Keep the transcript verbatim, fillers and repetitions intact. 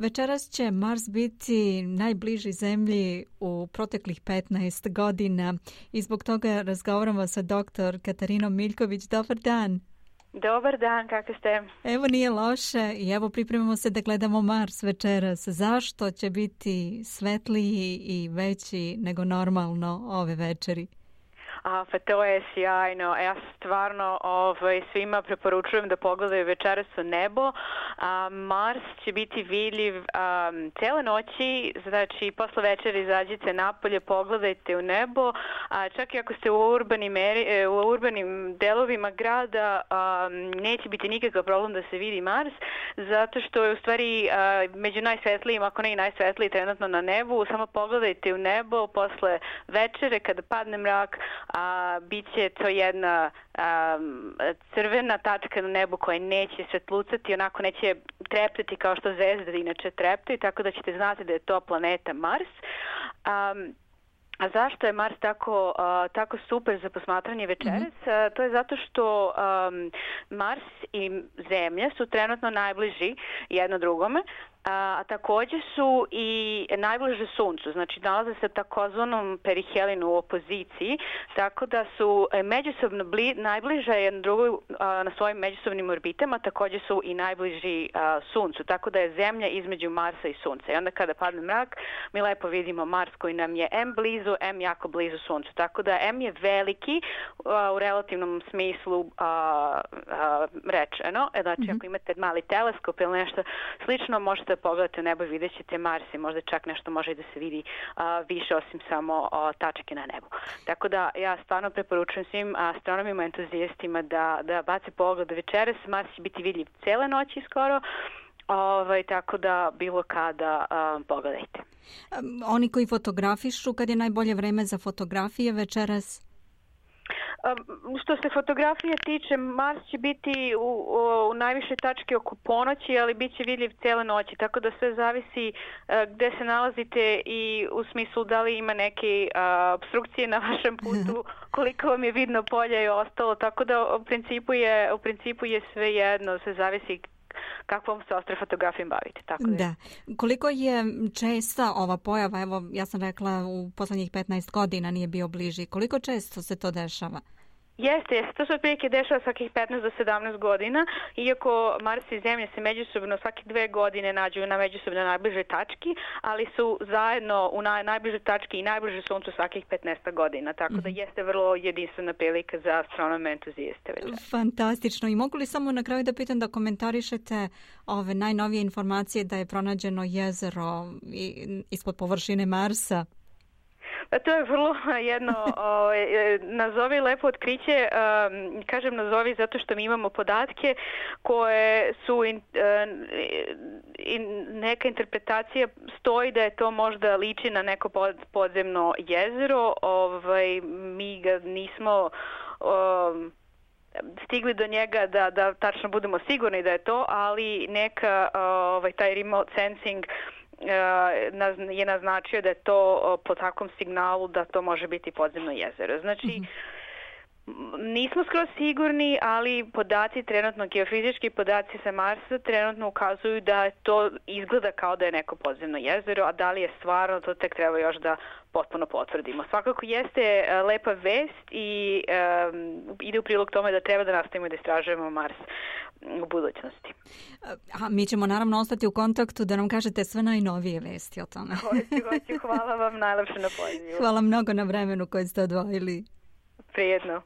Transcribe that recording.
Večeras će Mars biti najbliži Zemlji u proteklih petnaest godina i zbog toga razgovaramo sa doktor Katarinom Miljković. Dobar dan. Dobar dan, kako ste? Evo nije loše i evo pripremamo se da gledamo Mars večeras. Zašto će biti svetliji i veći nego normalno ove večeri? A, pa to je sjajno. Ja stvarno ovaj, svima preporučujem da pogledaju večeras u nebo. A, Mars će biti vidljiv a, cele noći, znači posle večeri izađite napolje, pogledajte u nebo. A, čak i ako ste u urbanim, eri, u urbanim delovima grada, a, neće biti nikakav problem da se vidi Mars, zato što je u stvari a, među najsvetlijim, ako ne i najsvetliji trenutno na nebu. Samo pogledajte u nebo posle večere kada padne mrak, a bit će to jedna a, crvena tačka na nebu koja neće svetlucati, onako neće treptati kao što zvezde inače treptaju, tako da ćete znati da je to planeta Mars. A, A zašto je Mars tako, uh, tako super za posmatranje večeras? Mm-hmm. Uh, to je zato što um, Mars i Zemlja su trenutno najbliži jedno drugome, a, a takođe su i najbliže Suncu, znači nalaze se u takozvanom perihelinu u opoziciji, tako da su međusobno bli, najbliže jedno drugo a, na svojim međusobnim orbitama, takođe su i najbliži a, Suncu, tako da je Zemlja između Marsa i Sunca. I onda kada padne mrak, mi lepo vidimo Mars koji nam je em blizu, em jako blizu Suncu, tako da em je veliki a, u relativnom smislu a, a, rečeno, znači mm-hmm. ako imate mali teleskop ili nešto slično, možete da pogledate u nebo i vidjet ćete Mars i možda čak nešto može i da se vidi a, više osim samo a, tačke na nebu. Tako da ja stvarno preporučujem svim astronomima, entuzijastima da, da bace pogled večeras. Mars će biti vidljiv cele noći skoro, ovaj, tako da bilo kada a, pogledajte. Oni koji fotografišu, kad je najbolje vreme za fotografije večeras? Što se fotografije tiče, Mars će biti u, u, u najviše tačke oko ponoći, ali bit će vidljiv cele noći, tako da sve zavisi uh, gde se nalazite i u smislu da li ima neke uh, obstrukcije na vašem putu, koliko vam je vidno polja i ostalo, tako da u principu je, u principu je sve jedno, sve zavisi kakvom se astrofotografijom bavite. Tako da. da. Koliko je česta ova pojava, evo ja sam rekla u poslednjih petnaest godina nije bio bliži, koliko često se to dešava? Jeste, jeste. To se otprilike dešava svakih petnaest do sedamnaest godina, iako Mars i Zemlja se međusobno svake dve godine nađu na međusobno najbližoj tački, ali su zajedno u naj, najbližoj tački i najbliže Suncu svakih petnaest godina, tako da jeste vrlo jedinstvena prilika za astronome entuzijeste. Fantastično. I mogu li samo na kraju da pitam da komentarišete ove najnovije informacije da je pronađeno jezero ispod površine Marsa? Pa to je vrlo jedno o, nazovi lepo otkriće, um, kažem nazovi zato što mi imamo podatke koje su in, in, neka interpretacija stoji da je to možda liči na neko pod, podzemno jezero, ovaj, mi ga nismo um, stigli do njega da, da tačno budemo sigurni da je to, ali neka ovaj, taj remote sensing je naznačio da je to po takvom signalu da to može biti podzemno jezero. Znači, mm-hmm. nismo skroz sigurni, ali podaci trenutno, geofizički podaci sa Marsa trenutno ukazuju da to izgleda kao da je neko podzemno jezero, a da li je stvarno, to tek treba još da potpuno potvrdimo. Svakako jeste lepa vest i um, ide u prilog tome da treba da nastavimo da istražujemo Mars u budućnosti. A mi ćemo naravno ostati u kontaktu da nam kažete sve najnovije vesti o tome. Hoću, hoću. Hvala vam najlepše na pozivu. Hvala mnogo na vremenu koje ste odvojili. Prijetno.